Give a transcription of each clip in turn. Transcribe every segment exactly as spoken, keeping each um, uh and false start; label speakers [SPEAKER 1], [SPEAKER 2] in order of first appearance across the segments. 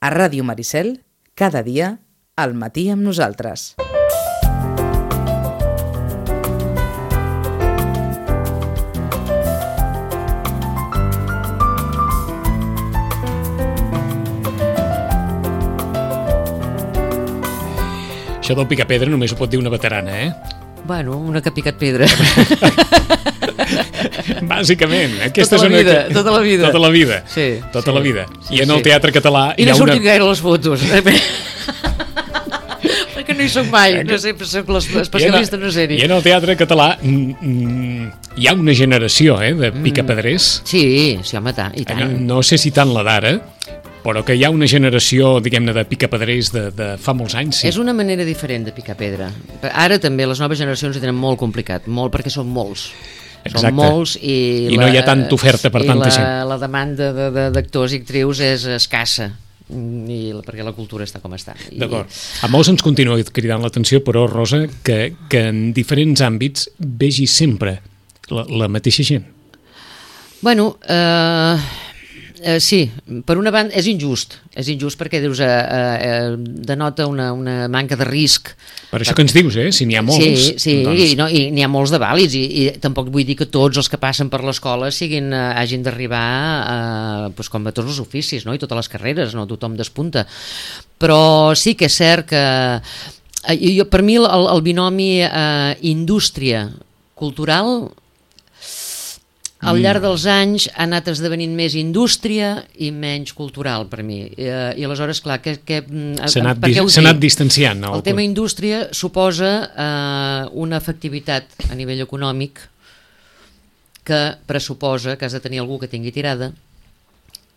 [SPEAKER 1] A Ràdio Maricel, cada dia, al matí amb nosaltres.
[SPEAKER 2] Això del picapedra només ho pot dir una veterana, eh?
[SPEAKER 3] Bueno, una que ha picat pedra.
[SPEAKER 2] Bàsicament. Aquesta
[SPEAKER 3] tota,
[SPEAKER 2] és
[SPEAKER 3] la
[SPEAKER 2] una...
[SPEAKER 3] vida, tota la vida.
[SPEAKER 2] Tota la vida.
[SPEAKER 3] Sí.
[SPEAKER 2] Tota
[SPEAKER 3] sí.
[SPEAKER 2] la vida.
[SPEAKER 3] Sí,
[SPEAKER 2] I en el
[SPEAKER 3] sí.
[SPEAKER 2] teatre català...
[SPEAKER 3] I no
[SPEAKER 2] hi ha
[SPEAKER 3] sortit
[SPEAKER 2] una...
[SPEAKER 3] gaire les fotos. Perquè no hi soc mai. No sé, soc l'especialista en una sèrie.
[SPEAKER 2] I en el teatre català mm, hi ha una generació eh, de picapedrers.
[SPEAKER 3] Mm. Sí, sí, home, tant, i tant.
[SPEAKER 2] No, no sé si tant la d'ara, però que hi ha una generació, diguem-ne, de picapedrers de, de fa molts anys. Sí.
[SPEAKER 3] És una manera diferent de picar pedra. Ara també les noves generacions ho tenen molt complicat, molt perquè són molts.
[SPEAKER 2] Exacte.
[SPEAKER 3] Són molts i,
[SPEAKER 2] I
[SPEAKER 3] la,
[SPEAKER 2] no hi ha tanta oferta per tanta
[SPEAKER 3] la,
[SPEAKER 2] gent.
[SPEAKER 3] la demanda de, de, d'actors i actrius és escassa. I, perquè la cultura està com està. I...
[SPEAKER 2] D'acord. A molts ens continua cridant l'atenció, però, Rosa, que, que en diferents àmbits vegi sempre la, la mateixa gent.
[SPEAKER 3] Bueno, eh... Uh, sí, per una banda és injust, és injust perquè dius, uh, uh, denota una, una manca de risc.
[SPEAKER 2] Per això que ens dius, eh? Si n'hi ha molts...
[SPEAKER 3] Sí, sí
[SPEAKER 2] doncs...
[SPEAKER 3] i, no, i n'hi ha molts de vàlids i, i tampoc vull dir que tots els que passen per l'escola siguin, uh, hagin d'arribar uh, pues, com a tots els oficis, no? I totes les carreres, no tothom despunta. Però sí que és cert que uh, jo, per mi el, el binomi uh, indústria cultural al llarg dels anys ha anat esdevenint més indústria i menys cultural per mi. I, i aleshores, clar, que, que,
[SPEAKER 2] s'ha anat, dis, s'ha anat distanciant. No?
[SPEAKER 3] El tema indústria suposa eh, una efectivitat a nivell econòmic que pressuposa que has de tenir algú que tingui tirada,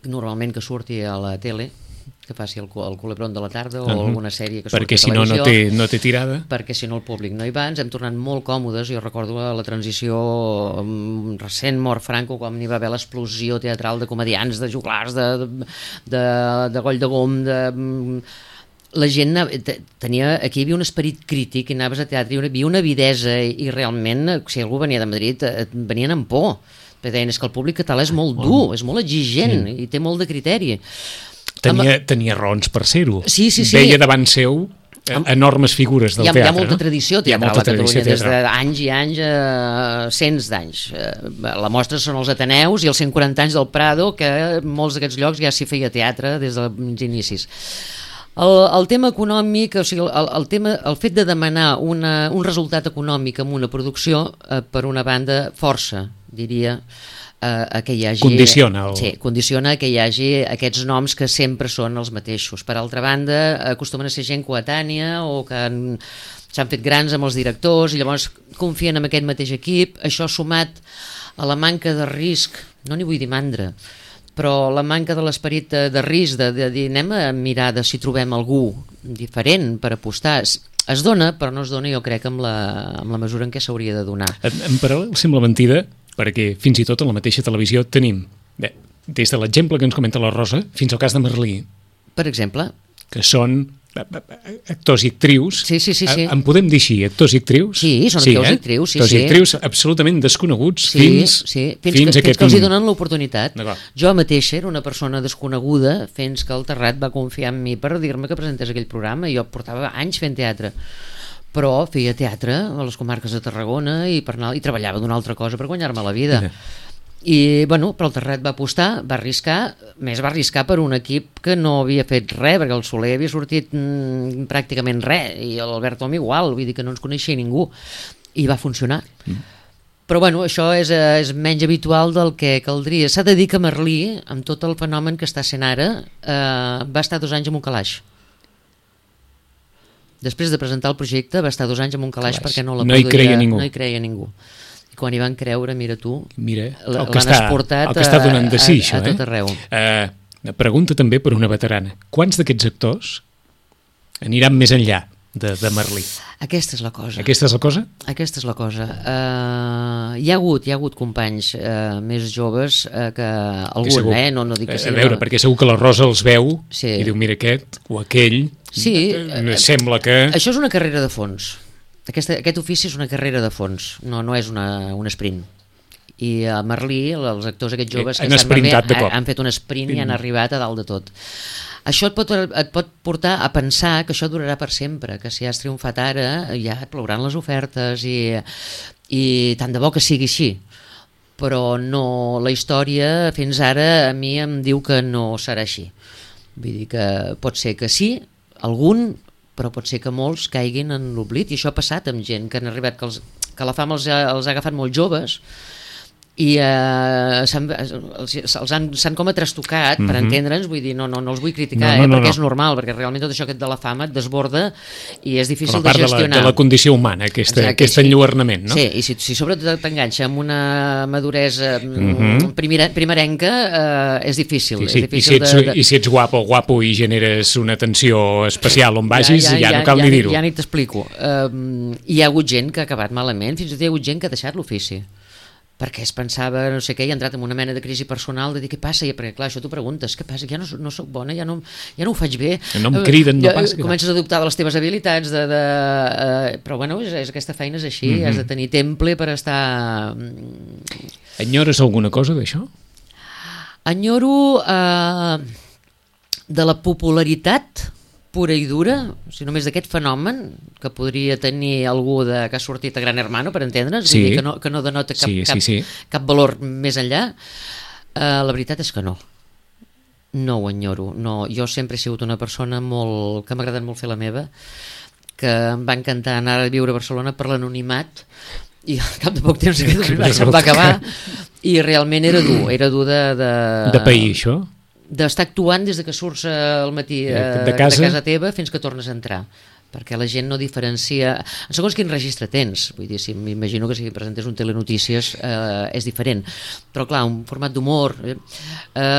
[SPEAKER 3] normalment que surti a la tele, que faci el, el Culebron de la tarda o uh-huh. alguna sèrie que surti
[SPEAKER 2] perquè
[SPEAKER 3] a
[SPEAKER 2] si no, no té, no té tirada,
[SPEAKER 3] perquè si no el públic no hi va. Ens hem tornat molt còmodes. Jo recordo la transició um, recent, mort Franco, quan n'hi va haver l'explosió teatral de comedians, de joglars, de, de, de Goll de Gom, de... la gent tenia, aquí hi havia un esperit crític i anaves a teatre, hi havia una avidesa i realment, si algú venia de Madrid venien amb por, perquè deien que el públic català és molt dur, és molt exigent sí. i té molt de criteri.
[SPEAKER 2] Tenia, tenia raons per ser-ho.
[SPEAKER 3] Sí, sí, sí.
[SPEAKER 2] Veia davant seu enormes figures del
[SPEAKER 3] hi ha,
[SPEAKER 2] teatre.
[SPEAKER 3] Hi ha molta
[SPEAKER 2] no?
[SPEAKER 3] tradició teatral
[SPEAKER 2] molta
[SPEAKER 3] a Catalunya,
[SPEAKER 2] tradició
[SPEAKER 3] des d'anys i anys, eh, cents d'anys. Eh, la mostra són els Ateneus i els cent quaranta anys del Prado, que en molts d'aquests llocs ja s'hi feia teatre des dels inicis. El, el tema econòmic, o sigui, el, el, tema, el fet de demanar una, un resultat econòmic en una producció, eh, per una banda, força, diria, a que hi hagi,
[SPEAKER 2] condiciona, el...
[SPEAKER 3] sí, condiciona que hi hagi aquests noms que sempre són els mateixos. Per altra banda, acostumen a ser gent coetània o que han, s'han fet grans amb els directors i llavors confien en aquest mateix equip. Això sumat a la manca de risc, no n'hi vull dir mandra, però la manca de l'esperit de, de risc, de, de dir anem a mirar de si trobem algú diferent per apostar, es dona, però no es dona jo crec amb la, amb la mesura en què s'hauria de donar.
[SPEAKER 2] En, en paral·lel sembla mentida, perquè fins i tot a la mateixa televisió tenim, bé, des de l'exemple que ens comenta la Rosa, fins al cas de Merlí.
[SPEAKER 3] Per exemple.
[SPEAKER 2] Que són actors i actrius.
[SPEAKER 3] Sí, sí, sí. sí.
[SPEAKER 2] En podem dir així, actors i actrius?
[SPEAKER 3] Sí, són sí, actors eh? i actrius, sí,
[SPEAKER 2] actors
[SPEAKER 3] sí.
[SPEAKER 2] i actrius absolutament desconeguts
[SPEAKER 3] sí,
[SPEAKER 2] fins,
[SPEAKER 3] sí. fins,
[SPEAKER 2] fins,
[SPEAKER 3] que,
[SPEAKER 2] a
[SPEAKER 3] fins
[SPEAKER 2] aquest...
[SPEAKER 3] que els hi donen l'oportunitat.
[SPEAKER 2] D'acord.
[SPEAKER 3] Jo mateixa era una persona desconeguda fins que el Terrat va confiar en mi per dir-me que presentés aquell programa i jo portava anys fent teatre. Però feia teatre a les comarques de Tarragona i, per anar, i treballava d'una altra cosa per guanyar-me la vida. I, bueno, però el Terrat va apostar, va arriscar, més va arriscar per un equip que no havia fet res, perquè el Soler havia sortit mmm, pràcticament res, i l'Albert Om igual, vull dir que no ens coneixia ningú, i va funcionar. Mm. Però, bueno, això és, és menys habitual del que caldria. S'ha de dir que Merlí, amb tot el fenomen que està sent ara, eh, va estar dos anys en un calaix. Després de presentar el projecte va estar dos anys en un calaix perquè no la
[SPEAKER 2] no hi creia ningú.
[SPEAKER 3] No hi creia ningú. I quan hi van creure, mira tu,
[SPEAKER 2] mira,
[SPEAKER 3] l'han exportat
[SPEAKER 2] el que està donant de si,
[SPEAKER 3] a, a, a tot arreu.
[SPEAKER 2] Eh? Uh, pregunta també per una veterana. Quants d'aquests actors aniran més enllà de, de Merlí?
[SPEAKER 3] Aquesta és la cosa.
[SPEAKER 2] Aquesta és la cosa?
[SPEAKER 3] Aquesta és la cosa. Uh, hi ha hagut, hi ha hagut companys uh, més joves uh, que algun, que segur, eh? No, no dic que sigui...
[SPEAKER 2] A veure, perquè segur que la Rosa els veu
[SPEAKER 3] sí.
[SPEAKER 2] i diu, mira aquest o aquell...
[SPEAKER 3] Sí,
[SPEAKER 2] sembla que...
[SPEAKER 3] Això és una carrera de fons. Aquesta, aquest ofici és una carrera de fons, no, no és una, un sprint. I a Merlí, els actors aquests joves que
[SPEAKER 2] han,
[SPEAKER 3] Merlí,
[SPEAKER 2] de cop.
[SPEAKER 3] han fet un sprint i han arribat a dalt de tot. això et pot, et pot portar a pensar que això durarà per sempre, que si has triomfat ara ja et plouran les ofertes i, i tant de bo que sigui així, però no, la història fins ara a mi em diu que no serà així. Vull dir que pot ser que sí, algun, però pot ser que molts caiguin en l'oblit, i això ha passat amb gent que han arribat, que, els, que la fama els ha, els ha agafat molt joves, i eh, s'han, els, els han, s'han com a trastocat, mm-hmm. per entendre'ns, vull dir, no, no, no els vull criticar, no, no, eh, no, perquè no. És normal, perquè realment tot això de la fama et desborda i és difícil de gestionar.
[SPEAKER 2] De la, de la condició humana, aquesta, exacte, aquest sí. enlluernament, no?
[SPEAKER 3] Sí, i si, si sobretot t'enganxa amb una maduresa mm-hmm. primera, primerenca, eh, és difícil.
[SPEAKER 2] Sí, sí.
[SPEAKER 3] És difícil
[SPEAKER 2] I, si ets,
[SPEAKER 3] de, de...
[SPEAKER 2] I si ets guapo o guapo i generes una atenció especial on vagis, ja, ja, ja, ja no cal
[SPEAKER 3] ja,
[SPEAKER 2] ni dir-ho.
[SPEAKER 3] Ja ni t'explico. Um, hi ha hagut gent que ha acabat malament, fins i tot hi ha hagut gent que ha deixat l'ofici, perquè es pensava, no sé què, i ha entrat en una mena de crisi personal de dir què passa, i perquè clar, això t'ho preguntes, què passa, ja no, no soc bona, ja no, ja no ho faig bé,
[SPEAKER 2] no em criden, no
[SPEAKER 3] ja,
[SPEAKER 2] passa,
[SPEAKER 3] comences a dubtar de les teves habilitats de, de, uh, però bueno, és, és, aquesta feina és així, mm-hmm. has de tenir temple per estar...
[SPEAKER 2] Enyores alguna cosa d'això?
[SPEAKER 3] Enyoro uh, de la popularitat pura i dura, o sigui, només d'aquest fenomen que podria tenir algú de, que ha sortit a Gran Hermano, per entendre's, sí. que, no, que no denota cap,
[SPEAKER 2] sí, sí,
[SPEAKER 3] cap,
[SPEAKER 2] sí.
[SPEAKER 3] cap valor més enllà, uh, la veritat és que no. No ho enyoro. No. Jo sempre he sigut una persona molt, que m'ha agradat molt fer la meva, que em va encantar anar a viure a Barcelona per l'anonimat, i al cap de poc temps aquest anonimat se'm va acabar, i realment era dur, era dur de... De,
[SPEAKER 2] de pair, això?
[SPEAKER 3] D'estar actuant des de que surts al matí eh,
[SPEAKER 2] de, casa?
[SPEAKER 3] de casa teva fins que tornes a entrar, perquè la gent no diferencia en segons quin registre tens, vull dir, si m'imagino que si presentes un telenotícies eh, és diferent, però clar, un format d'humor, eh,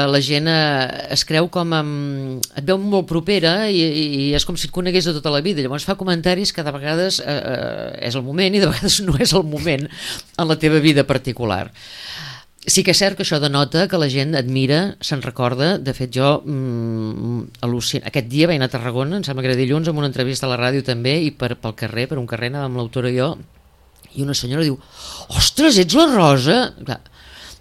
[SPEAKER 3] la gent eh, es creu com amb, et veu molt propera i, i és com si et conegués de tota la vida, llavors fa comentaris que de vegades eh, és el moment i de vegades no és el moment en la teva vida particular. Sí que és cert que això denota que la gent admira, se'n recorda. De fet, jo mm, al·lucino. Aquest dia vaig anar a Tarragona, em sembla que era dilluns, amb una entrevista a la ràdio també, i per, pel carrer, per un carrer, anava amb l'autora i jo, i una senyora diu: ostres, ets la Rosa? Clar,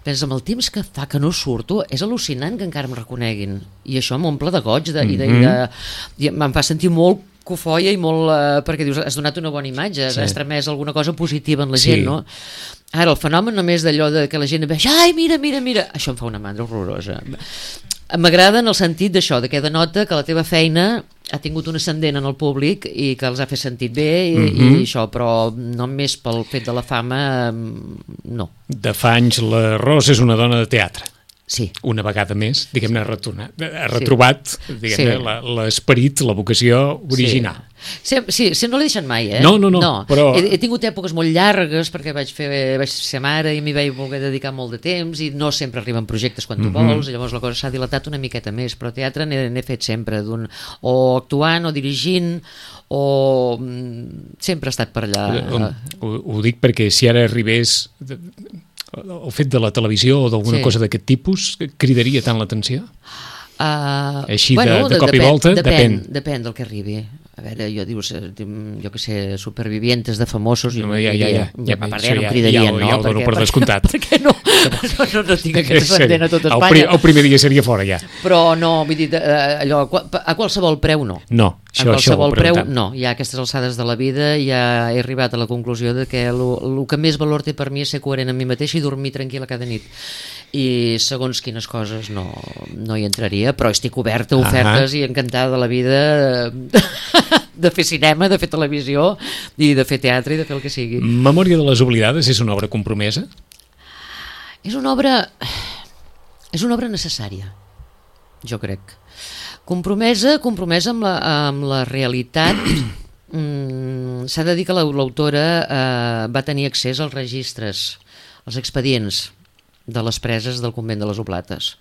[SPEAKER 3] pensa, amb el temps que fa que no surto, és al·lucinant que encara em reconeguin. I això m'omple de goig, de, mm-hmm. i, de, i, de, i em fa sentir molt cofoia i molt... Eh, perquè dius, has donat una bona imatge, sí. has tramès alguna cosa positiva en la gent, sí. no? Ara, el fenomen només d'allò de que la gent veig, ai, mira, mira, mira, això em fa una mandra horrorosa. M'agrada en el sentit d'això, de que denota que la teva feina ha tingut un ascendent en el públic i que els ha fet sentit bé i, mm-hmm. i això, però només pel fet de la fama, no.
[SPEAKER 2] De fa anys la Rosa és una dona de teatre.
[SPEAKER 3] Sí.
[SPEAKER 2] Una vegada més, diguem-ne, ha, retornat, ha retrobat sí. diguem-ne, sí. l'esperit, la vocació original.
[SPEAKER 3] Sí, sí, sí, no l'he deixat mai, eh?
[SPEAKER 2] No, no, no. no però...
[SPEAKER 3] he, he tingut èpoques molt llargues perquè vaig, fer, vaig ser mare i m'hi vaig voler dedicar molt de temps i no sempre arriben projectes quan tu mm-hmm. vols, llavors la cosa s'ha dilatat una miqueta més, però teatre n'he fet sempre, d'un, o actuant o dirigint o sempre he estat per allà.
[SPEAKER 2] Ho, ho, ho dic perquè si ara arribés... el fet de la televisió o d'alguna sí. cosa d'aquest tipus cridaria tant l'atenció?
[SPEAKER 3] Uh,
[SPEAKER 2] Així
[SPEAKER 3] bueno,
[SPEAKER 2] de, de cop
[SPEAKER 3] depèn,
[SPEAKER 2] i volta?
[SPEAKER 3] Depèn,
[SPEAKER 2] depèn.
[SPEAKER 3] Depèn del que arribi. A veure, jo dius, jo que sé, supervivientes de famosos,
[SPEAKER 2] no, ja, ja, ja, ja,
[SPEAKER 3] per ja, no em cridarien,
[SPEAKER 2] ja,
[SPEAKER 3] no?
[SPEAKER 2] ja ho dono per descomptat.
[SPEAKER 3] Per què no? No, no, no tinc aquest ascendent a tot Espanya.
[SPEAKER 2] El, pri, el primer dia seria fora, ja.
[SPEAKER 3] Però no, vull dir, allò, a qualsevol preu no.
[SPEAKER 2] No, això,
[SPEAKER 3] a qualsevol
[SPEAKER 2] això
[SPEAKER 3] preu no. Ja a aquestes alçades de la vida ja he arribat a la conclusió de que el que més valor té per mi és ser coherent amb mi mateix i dormir tranquil·la cada nit. I segons quines coses no, no hi entraria, però estic oberta a ofertes uh-huh. i encantada de la vida de fer cinema, de fer televisió i de fer teatre i de fer el que sigui.
[SPEAKER 2] Memòria de les oblidades és una obra compromesa?
[SPEAKER 3] És una obra és una obra necessària, jo crec. Compromesa, compromesa amb la, amb la realitat. mm, s'ha de dir que l'autora eh, va tenir accés als registres, als expedients de les preses del convent de les Oblates.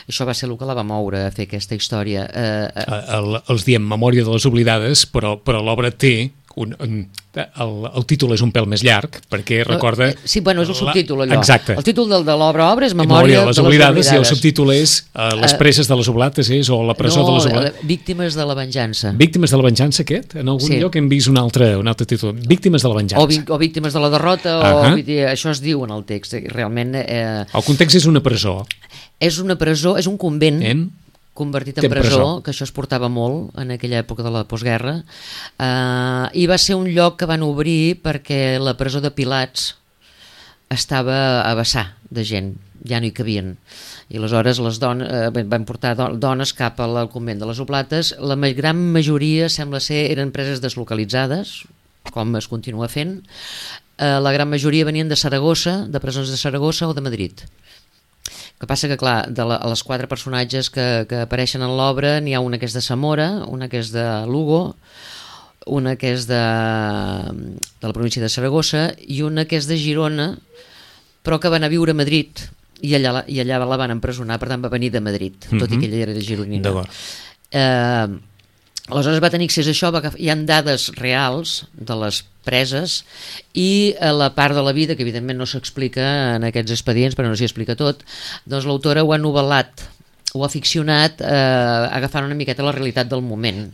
[SPEAKER 3] Això va ser el que la va moure a fer aquesta història. Eh, eh.
[SPEAKER 2] El, els diem Memòria de les oblidades, però, però l'obra té un, un, el, el títol és un pèl més llarg, perquè recorda...
[SPEAKER 3] Sí, bueno, és el subtítol, allò.
[SPEAKER 2] Exacte.
[SPEAKER 3] El títol de, de l'obra obra és Memòria,
[SPEAKER 2] Memòria de les oblidades,
[SPEAKER 3] oblidades,
[SPEAKER 2] i el subtítol és uh, Les preses de les Oblates, és, o La presó
[SPEAKER 3] no,
[SPEAKER 2] de les Oblates.
[SPEAKER 3] Víctimes de la venjança.
[SPEAKER 2] Víctimes de la venjança, aquest? En algun sí. lloc hem vist un altre, un altre títol. Víctimes de la venjança.
[SPEAKER 3] O, vi, o Víctimes de la derrota, uh-huh. o, vull dir, això es diu en el text. Realment... Eh,
[SPEAKER 2] el context és una presó.
[SPEAKER 3] És una presó, és un convent...
[SPEAKER 2] En?
[SPEAKER 3] convertit en presó, presó, que això es portava molt en aquella època de la postguerra, uh, i va ser un lloc que van obrir perquè la presó de Pilats estava a vessar de gent, ja no hi cabien, i aleshores les dones, eh, van portar dones cap al convent de les Oblates. La gran majoria sembla ser eren preses deslocalitzades, com es continua fent. eh, la gran majoria venien de Saragossa, de presons de Saragossa o de Madrid. El que passa que, clar, de la, les quatre personatges que, que apareixen en l'obra, n'hi ha una que és de Zamora, una que és de Lugo, una que és de, de la província de Saragossa i una que és de Girona, però que va anar a viure a Madrid i allà, i allà la van empresonar, per tant va venir de Madrid, mm-hmm. tot i que ella era de gironina.
[SPEAKER 2] D'acord.
[SPEAKER 3] Eh, aleshores va tenir accés a això, va, hi ha dades reals de les preses i a la part de la vida que evidentment no s'explica en aquests expedients, però no s'hi explica tot, doncs l'autora ho ha novel·lat, ho ha ficcionat eh, agafant una miqueta la realitat del moment,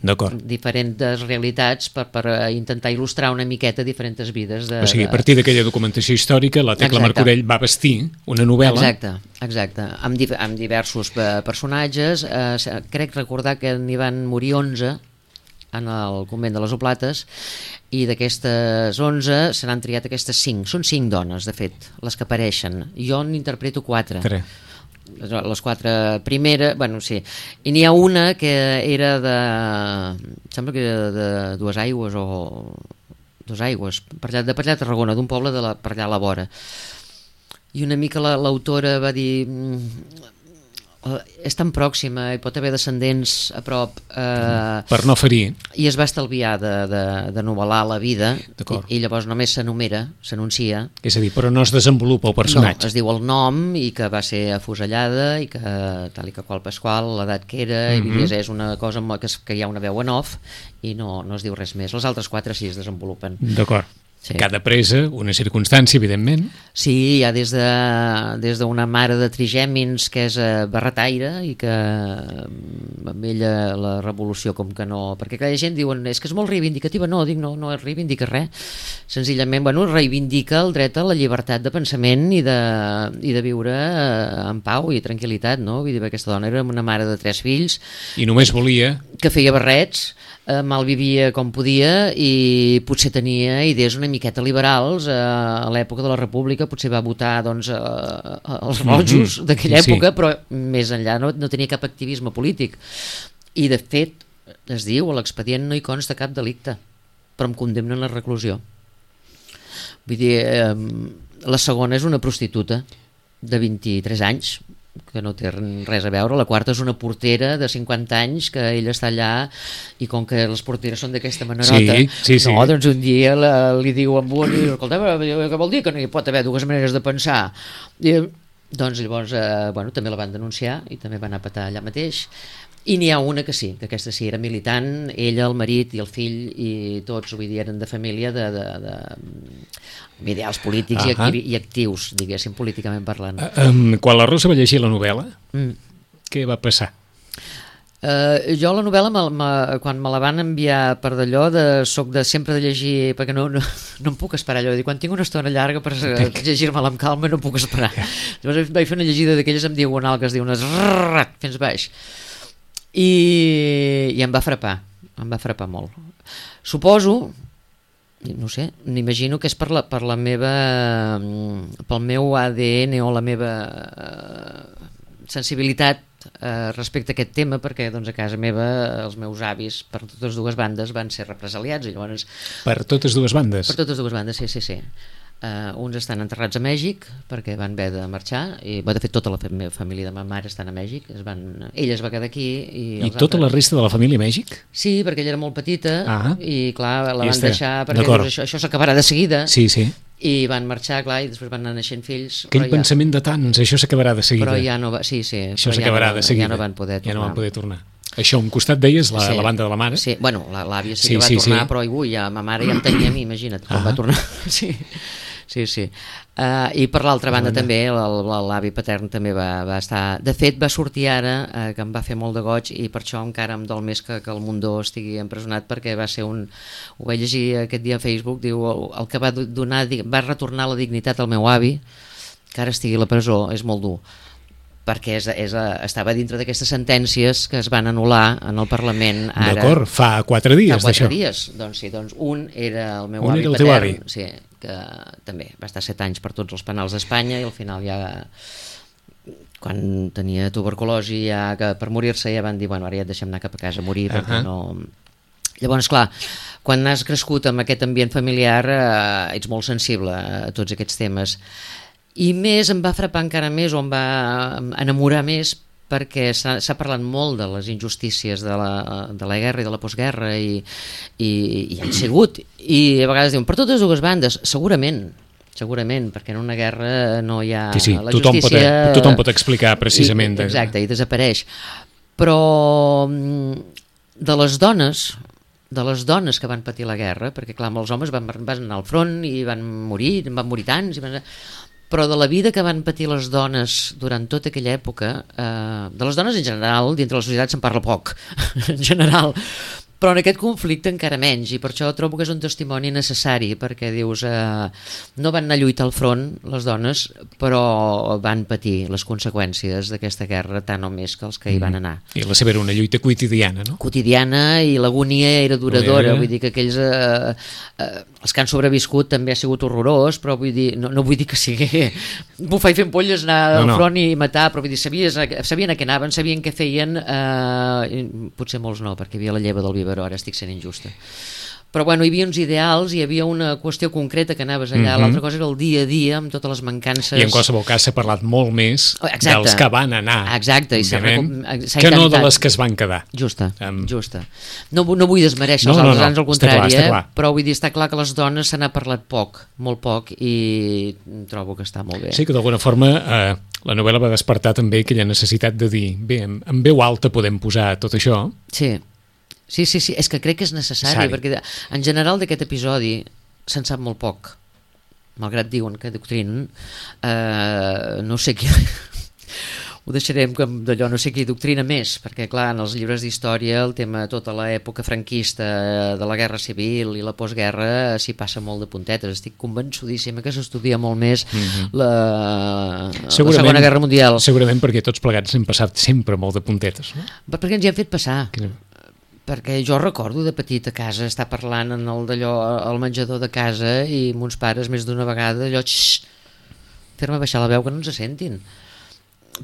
[SPEAKER 3] diferents realitats per, per intentar il·lustrar una miqueta diferents vides de,
[SPEAKER 2] o sigui, a partir d'aquella documentació històrica la Tecla exacte. Martorell va vestir una novel·la
[SPEAKER 3] exacte, exacte. Amb, di amb diversos personatges, eh, crec recordar que n'hi van morir onze en el convent de les Oblates, i d'aquestes onze se n'han triat aquestes cinc, són cinc dones de fet les que apareixen, jo n'interpreto quatre
[SPEAKER 2] Tre.
[SPEAKER 3] les quatre primeres, bueno sí, i n'hi ha una que era de, sembla que era de Dues Aigües o Dues Aigües, per allà, de per allà a Tarragona, d'un poble de la, per allà a la vora, i una mica l'autora va dir és tan pròxima i pot haver descendents a prop, eh,
[SPEAKER 2] per no ferir,
[SPEAKER 3] i es va estalviar de, de, de novel·lar la vida i, i llavors només s'enumera, s'anuncia,
[SPEAKER 2] és a dir, però no es desenvolupa el personatge,
[SPEAKER 3] no, es diu el nom i que va ser afusellada i que tal i que qual Pasqual, l'edat que era, mm-hmm. i és una cosa que, que hi ha una veu en off i no, no es diu res més. Les altres quatre sí es desenvolupen.
[SPEAKER 2] D'acord. Sí. Cada presa, una circumstància, evidentment.
[SPEAKER 3] Sí, hi ha des de des d'una mare de trigèmins que és eh, barretaire i que amb ella la revolució com que no... Perquè cada gent diuen, és que és molt reivindicativa. No, dic, no, no reivindica res. Senzillament, bueno, reivindica el dret a la llibertat de pensament i de, i de viure eh, en pau i tranquil·litat, no? Vull dir, aquesta dona era una mare de tres fills.
[SPEAKER 2] I només volia...
[SPEAKER 3] Que feia barrets, eh, mal vivia com podia i potser tenia idees una miqueta liberals, eh, a l'època de la República potser va votar doncs, eh, els rojos mm-hmm. d'aquella època, sí. Però més enllà no, no tenia cap activisme polític i de fet es diu a l'expedient no hi consta cap delicte, però em condemnen a reclusió. Vull dir, eh, la segona és una prostituta de vint-i-tres anys que no té res a veure. La quarta és una portera de cinquanta anys que ella està allà i com que les porteres són d'aquesta manerota,
[SPEAKER 2] sí, sí, sí.
[SPEAKER 3] no, doncs un dia la, li diu amb un, escolta, què vol dir que no hi pot haver dues maneres de pensar? I, doncs llavors eh, bueno, també la van denunciar i també va anar a petar allà mateix. I n'hi ha una que sí, que aquesta sí era militant, ella, el marit i el fill i tots, vull dir, eren de família de, de, de ideals polítics uh -huh. i, activi, i actius, diguéssim, políticament parlant.
[SPEAKER 2] Uh, um, quan la Rosa va llegir la novel·la, mm. què va passar?
[SPEAKER 3] Uh, jo la novel·la, me, me, quan me la van enviar per d'allò, de, soc de sempre de llegir, perquè no, no, no em puc esperar allò, de dir, quan tinc una estona llarga per llegir-me-la amb calma no puc esperar. Llavors vaig fer una llegida d'aquelles amb diagonal que es diu unes rrrr, fins baix. I, i em va frapar, em va frapar molt. Suposo, no sé, m'imagino que és per la, per la meva, pel meu A D N o la meva uh, sensibilitat uh, respecte a aquest tema, perquè doncs, a casa meva els meus avis per totes dues bandes van ser represaliats i llavors...
[SPEAKER 2] Per totes dues bandes?
[SPEAKER 3] Per totes dues bandes, sí, sí, sí. Uh, uns estan enterrats a Mèxic perquè van haver de marxar i de fet tota la meva família de ma mare estan a Mèxic, es van, ella es va quedar aquí i,
[SPEAKER 2] I tota altres... la resta de la família a Mèxic?
[SPEAKER 3] Sí, perquè ella era molt petita ah, i clar, la
[SPEAKER 2] I
[SPEAKER 3] van deixar perquè doncs, això, això s'acabarà de seguida
[SPEAKER 2] sí, sí.
[SPEAKER 3] i van marxar, clar, i després van anar naixent fills.
[SPEAKER 2] Aquell pensament ja... de tants, això s'acabarà de seguida.
[SPEAKER 3] Però ja no va, sí, sí,
[SPEAKER 2] això s'acabarà
[SPEAKER 3] ja no,
[SPEAKER 2] de seguida.
[SPEAKER 3] Ja no van poder tornar.
[SPEAKER 2] Ja no van poder tornar. Això, un costat deies, la, sí. la banda de la mare?
[SPEAKER 3] Sí, bueno, l'àvia sí,
[SPEAKER 2] sí
[SPEAKER 3] que va
[SPEAKER 2] sí,
[SPEAKER 3] tornar,
[SPEAKER 2] sí.
[SPEAKER 3] però ui, ja, ma mare ja em tenia a mi, imagina't, com ah. va tornar. Sí. Sí, sí. Uh, I per l'altra banda bueno. també l'avi patern també va, va estar... De fet, va sortir ara, uh, que em va fer molt de goig i per això encara em dol més que, que el Mundó estigui empresonat perquè va ser un... Ho vaig llegir aquest dia a Facebook, diu el que va donar, va retornar la dignitat al meu avi, que ara estigui a la presó, és molt dur. perquè és, és, estava dintre d'aquestes sentències que es van anul·lar en el Parlament ara.
[SPEAKER 2] D'acord, fa quatre dies
[SPEAKER 3] d'això. Fa quatre
[SPEAKER 2] d'això.
[SPEAKER 3] dies, doncs sí, doncs un era el meu
[SPEAKER 2] un
[SPEAKER 3] avi
[SPEAKER 2] era el teu
[SPEAKER 3] patern,
[SPEAKER 2] avi.
[SPEAKER 3] sí, que també va estar set anys per tots els penals d'Espanya i al final ja, quan tenia tuberculosi, ja que per morir-se ja van dir, bueno, ara ja et deixem anar cap a casa a morir, uh -huh. perquè no... Llavors, clar, quan has crescut amb aquest ambient familiar eh, ets molt sensible a tots aquests temes. I més, em va frapar encara més, o em va enamorar més, perquè s'ha parlat molt de les injustícies de la, de la guerra i de la postguerra, i, i, i han sigut. I a vegades diuen, per totes dues bandes, segurament, segurament, perquè en una guerra no hi ha...
[SPEAKER 2] Sí, sí,
[SPEAKER 3] la
[SPEAKER 2] tothom,
[SPEAKER 3] justícia,
[SPEAKER 2] pot, tothom pot explicar precisament.
[SPEAKER 3] I, exacte, i desapareix. Però de les dones... de les dones que van patir la guerra, perquè clar, molts homes van, van anar al front i van morir, van morir tants, i van... però de la vida que van patir les dones durant tota aquella època, eh, de les dones en general, dintre la societat se'n parla poc, en general, però en aquest conflicte encara menys, i per això trobo que és un testimoni necessari, perquè dius, eh, no van anar a lluitar al front les dones, però van patir les conseqüències d'aquesta guerra tant o més que els que hi van anar.
[SPEAKER 2] I la seva era una lluita quotidiana, no?
[SPEAKER 3] Quotidiana, i l'agonia era duradora, era... vull dir que aquells eh, eh, els que han sobreviscut també ha sigut horrorós, però vull dir, no, no vull dir que sigui bufar i fent polles, anar al no, no. front i matar, però vull dir, sabies, sabien a què anaven, sabien què feien, eh, potser molts no, perquè hi havia la lleva del biberó, ara estic sent injusta, però bueno, hi havia uns ideals, hi havia una qüestió concreta que anaves allà, mm -hmm. l'altra cosa era el dia a dia amb totes les mancances,
[SPEAKER 2] i en qualsevol cas s'ha parlat molt més exacte. dels que van anar.
[SPEAKER 3] Exacte, i
[SPEAKER 2] s'ha que intentat. No de les que es van quedar.
[SPEAKER 3] Justa, um... justa. No, no vull desmereixer no, els altres, no, no. al contrari, clar, eh? però vull dir, està clar que les dones se n'ha parlat poc, molt poc, i trobo que està molt bé.
[SPEAKER 2] Sí, que d'alguna forma eh, la novel·la va despertar també aquella necessitat de dir, bé, en, en veu alta podem posar tot això.
[SPEAKER 3] Sí. Sí, sí, sí, és que crec que és necessari, Sari. perquè en general d'aquest episodi se'n sap molt poc, malgrat diuen que doctrinen, eh, no sé qui... ho deixarem d'allò, no sé qui doctrina més, perquè clar, en els llibres d'història el tema, tota l'època franquista de la guerra civil i la postguerra s'hi passa molt de puntetes, estic convençudíssima que s'estudia molt més mm-hmm. la, la Segona Guerra Mundial.
[SPEAKER 2] Segurament perquè tots plegats hem passat sempre molt de puntetes, no?
[SPEAKER 3] Perquè ens hi han fet passar. Que... perquè jo recordo de petit a casa estar parlant en el d'allò al menjador de casa i mons pares més d'una vegada allò fer-me baixar la veu que no ens sentin,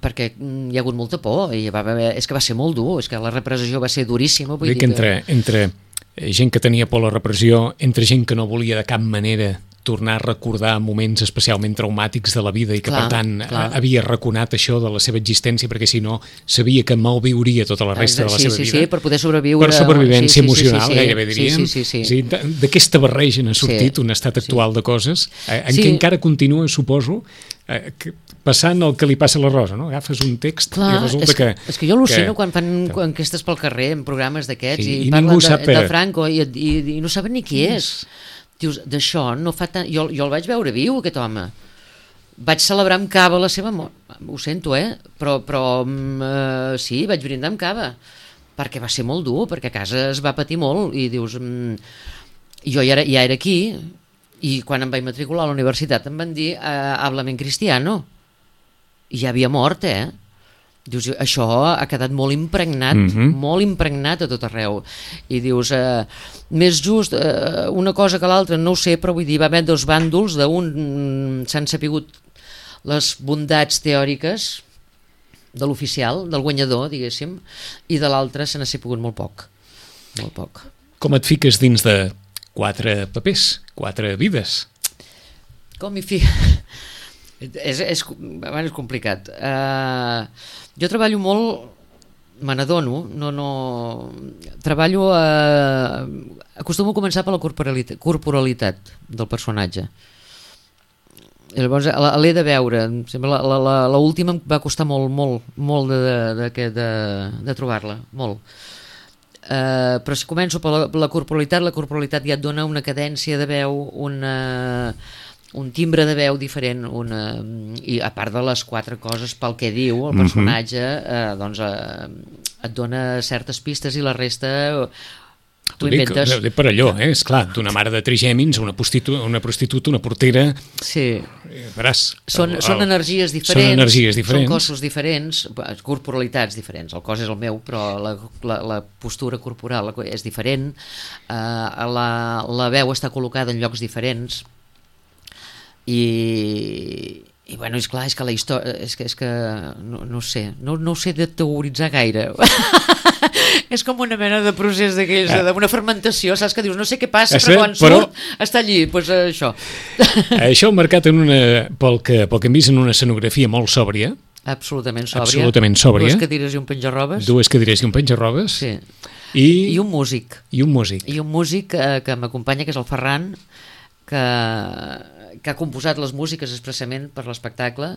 [SPEAKER 3] perquè hi ha hagut molta por i va haver, és que va ser molt dur, és que la repressió va ser duríssima, vull dir
[SPEAKER 2] que entre, entre gent que tenia por a la repressió, entre gent que no volia de cap manera tornar a recordar moments especialment traumàtics de la vida i que clar, per tant clar. havia raconat això de la seva existència perquè si no sabia que malviuria tota la resta de la
[SPEAKER 3] sí,
[SPEAKER 2] seva
[SPEAKER 3] sí,
[SPEAKER 2] vida.
[SPEAKER 3] Sí, per poder sobreviure.
[SPEAKER 2] Per supervivència
[SPEAKER 3] sí, sí,
[SPEAKER 2] emocional,
[SPEAKER 3] sí, sí, sí,
[SPEAKER 2] gairebé diríem.
[SPEAKER 3] Sí, sí, sí, sí.
[SPEAKER 2] D'aquesta barreja n'ha sortit
[SPEAKER 3] sí,
[SPEAKER 2] un estat actual sí. de coses en
[SPEAKER 3] sí.
[SPEAKER 2] què encara continua, suposo, eh, que, passant el que li passa a la Rosa, no? Agafes un text clar, i resulta
[SPEAKER 3] és que,
[SPEAKER 2] que...
[SPEAKER 3] És que jo al·lucino quan fan que... enquestes pel carrer en programes d'aquests sí, i, i parlen de,
[SPEAKER 2] per...
[SPEAKER 3] de Franco i, i, i no saben ni qui és. Dius, d'això no fa tant... Jo, jo el vaig veure viu, aquest home. Vaig celebrar amb cava la seva mort. Ho sento, eh? Però, però uh, sí, vaig brindar amb cava. Perquè va ser molt dur, perquè a casa es va patir molt. I dius... Um, jo ja era, ja era aquí, i quan em vaig matricular a la universitat em van dir uh, háblame en cristiano. I ja havia mort, eh? Dius, això ha quedat molt impregnat, mm-hmm. molt impregnat a tot arreu. I dius, eh, més just eh, una cosa que l'altra, no ho sé, però vull dir, va haver dos bàndols, d'un s'han sapigut les bondats teòriques de l'oficial, del guanyador, diguéssim, i de l'altre se n'ha sapigut molt poc. Molt poc.
[SPEAKER 2] Com et fiques dins de quatre papers, quatre vides?
[SPEAKER 3] Com m'hi fico? És, és, bueno, és complicat. Uh, jo treballo molt, me n'adono, no, no, treballo, uh, acostumo a començar per la corporalitat, corporalitat del personatge. I llavors l'he de veure, l'última em va costar molt, molt, molt de, de, de, de, de trobar-la, molt. Uh, però si començo per la, per la corporalitat, la corporalitat ja et dona una cadència de veu, una... un timbre de veu diferent, una, i a part de les quatre coses pel que diu el personatge, eh, doncs eh, et dona certes pistes i la resta Tu inventes...
[SPEAKER 2] Dic, per allò, eh? Esclar, d'una mare de trigèmins, una prostituta, una, prostituta, una portera...
[SPEAKER 3] Sí.
[SPEAKER 2] Veràs,
[SPEAKER 3] són,
[SPEAKER 2] el, el,
[SPEAKER 3] són energies diferents,
[SPEAKER 2] són energies diferents,
[SPEAKER 3] són cossos diferents, corporalitats diferents. El cos és el meu, però la, la, la postura corporal és diferent, uh, la, la veu està col·locada en llocs diferents, i... I bueno, és clar, és que la història... És que, és que no, no sé, no, no ho sé de teoritzar gaire. És com una mena de procés d'aquells, ah. d'una fermentació, saps que dius, no sé què passa, però quan però... surt està allí, doncs pues, això.
[SPEAKER 2] Això marcat en una, pel, que, pel que hem vist en una escenografia molt sòbria.
[SPEAKER 3] Absolutament sòbria.
[SPEAKER 2] Absolutament sòbria.
[SPEAKER 3] Dues cadires i un penjarrobes.
[SPEAKER 2] Dues cadires i un penjarrobes.
[SPEAKER 3] Sí.
[SPEAKER 2] I...
[SPEAKER 3] I un músic.
[SPEAKER 2] I un músic.
[SPEAKER 3] I un músic eh, que m'acompanya, que és el Ferran, que... que ha composat les músiques expressament per l'espectacle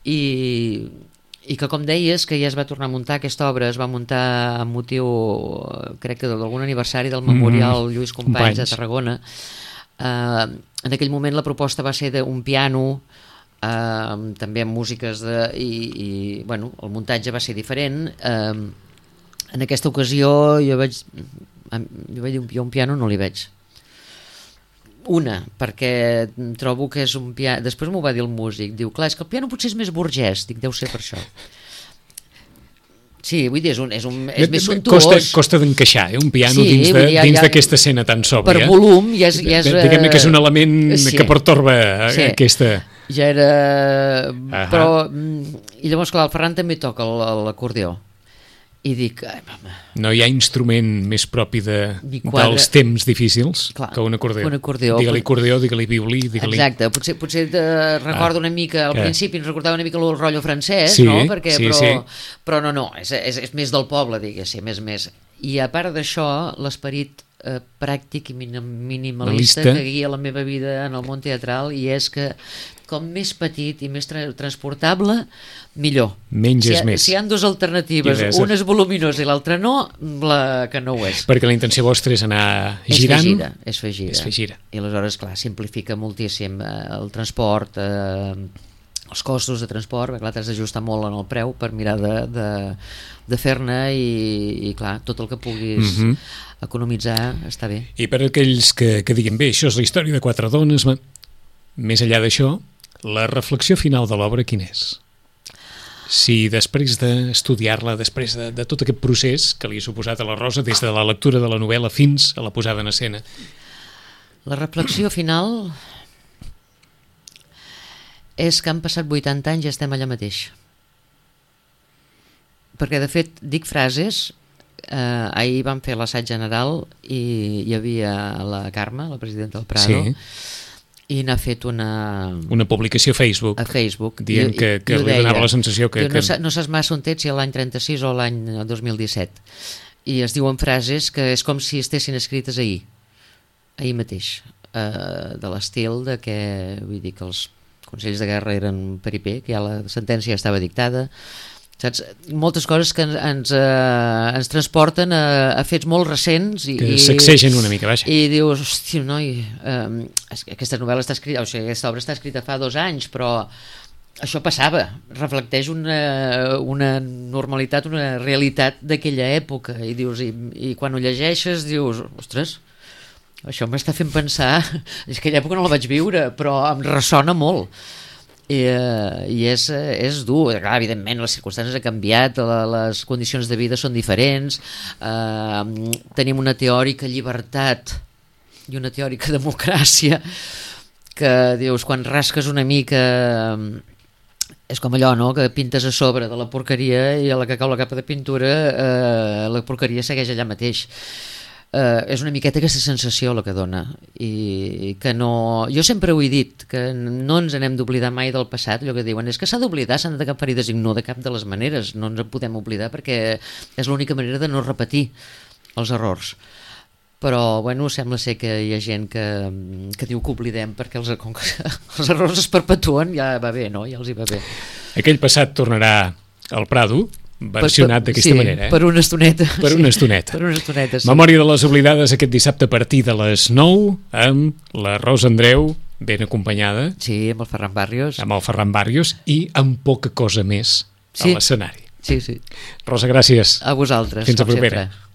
[SPEAKER 3] i, i que, com deies, que ja es va tornar a muntar aquesta obra, es va muntar amb motiu, crec que d'algun aniversari del Memorial mm, Lluís Companys, Companys de Tarragona. Uh, en aquell moment la proposta va ser d'un piano, uh, també amb músiques de, i, i bueno, el muntatge va ser diferent. Uh, en aquesta ocasió jo vaig, jo vaig dir, jo un piano no li veig. Una, perquè trobo que és un piano... Després m'ho va dir el músic, diu, clar, és que el piano potser és més burgès, dic, deu ser per això. Sí, vull dir, és, un, és, un, és més suntuós.
[SPEAKER 2] Costa, costa d'encaixar, eh? Un piano
[SPEAKER 3] sí,
[SPEAKER 2] dins d'aquesta
[SPEAKER 3] ja, ja,
[SPEAKER 2] ja, escena tan sòbria.
[SPEAKER 3] Per volum ja és... Ja és
[SPEAKER 2] diguem-ne que és un element sí, que pertorba sí, aquesta...
[SPEAKER 3] Ja era... Uh-huh. Però... I llavors, clar, el Ferran també toca l'acordió. I dic, ai, mama...
[SPEAKER 2] No hi ha instrument més propi de, dels temps difícils clar, que un acordió.
[SPEAKER 3] Un acordió.
[SPEAKER 2] Digue-li acordió, digue-li violí, digue-li...
[SPEAKER 3] Exacte, potser, potser te recordo ah, una mica, al que... principi ens recordava una mica el rotllo francès,
[SPEAKER 2] sí,
[SPEAKER 3] no? Perquè,
[SPEAKER 2] sí,
[SPEAKER 3] però,
[SPEAKER 2] sí.
[SPEAKER 3] però no, no, és, és, és més del poble, diguéssim, més, més. I a part d'això, l'esperit eh, pràctic i minimalista Malista. que guia la meva vida en el món teatral, i és que com més petit i més tra transportable, millor.
[SPEAKER 2] Menys
[SPEAKER 3] si
[SPEAKER 2] és més.
[SPEAKER 3] Si hi ha dues alternatives, una és voluminosa i l'altra no, la que no ho és.
[SPEAKER 2] Perquè la intenció vostra és anar girant.
[SPEAKER 3] És fer gira, és fer gira.
[SPEAKER 2] És fer gira.
[SPEAKER 3] I aleshores, clar, simplifica moltíssim eh, el transport, eh, els costos de transport, clar, t'has d'ajustar molt en el preu per mirar de, de, de fer-ne i, i, clar, tot el que puguis mm -hmm. economitzar està bé.
[SPEAKER 2] I per aquells que, que diguin, bé, això és la història de quatre dones, més enllà d'això, la reflexió final de l'obra quina és? Si després d'estudiar-la, després de, de tot aquest procés que li ha suposat a la Rosa, des de la lectura de la novel·la fins a la posada en escena.
[SPEAKER 3] La reflexió final és que han passat vuitanta anys i estem allà mateix. Perquè, de fet, dic frases... Eh, ahir vam fer l'assaig general i hi havia la Carme, la presidenta del Prado, sí. i n'ha fet una...
[SPEAKER 2] Una publicació a Facebook.
[SPEAKER 3] A Facebook.
[SPEAKER 2] Dient I, que, que li donava la sensació que...
[SPEAKER 3] que... No, no saps massa on ets, si l'any trenta-sis o l'any dos mil disset. I es diuen frases que és com si estessin escrites ahir. Ahir mateix. Eh, de l'estil de que, vull dir, que els consells de guerra eren peripé, que ja la sentència estava dictada, saps? Moltes coses que ens, eh, ens transporten a, a fets molt recents i,
[SPEAKER 2] que sacsegen una mica, vaja.
[SPEAKER 3] I dius, hòstia, noi, eh, aquesta novel·la està escrita, o sigui, aquesta obra està escrita fa dos anys, però això passava, reflecteix una, una normalitat, una realitat d'aquella època, i dius, i, i quan ho llegeixes dius, ostres, això m'està fent pensar, és que aquella època no la vaig viure, però em ressona molt. I, uh, i és, és dur, clar, evidentment les circumstàncies han canviat, la, les condicions de vida són diferents, uh, tenim una teòrica llibertat i una teòrica democràcia que dius, quan rasques una mica és com allò, no?, que pintes a sobre de la porqueria i a la que cau la capa de pintura uh, la porqueria segueix allà mateix. Uh, és una miqueta aquesta sensació la que dona, i que no... Jo sempre ho he dit, que no ens n'hem d'oblidar mai del passat, allò que diuen és que s'ha d'oblidar, s'han de cap ferides, i no de cap de les maneres, no ens en podem oblidar perquè és l'única manera de no repetir els errors. Però, bueno, sembla ser que hi ha gent que, que diu que oblidem perquè els, com que els errors es perpetuen, ja va bé, no? Ja els hi va bé.
[SPEAKER 2] Aquell passat tornarà al Prado, versionat d'aquesta
[SPEAKER 3] sí,
[SPEAKER 2] manera. Eh?
[SPEAKER 3] Per una estoneta.
[SPEAKER 2] Per una estoneta.
[SPEAKER 3] Per una estoneta, sí.
[SPEAKER 2] Memòria de les oblidades aquest dissabte a partir de les nou amb la Rosa Andreu ben acompanyada.
[SPEAKER 3] Sí, amb el Ferran Barrios.
[SPEAKER 2] Amb el Ferran Barrios i amb poca cosa més sí. a l'escenari.
[SPEAKER 3] Sí, sí.
[SPEAKER 2] Rosa, gràcies.
[SPEAKER 3] A vosaltres.
[SPEAKER 2] Fins a propera. Sempre.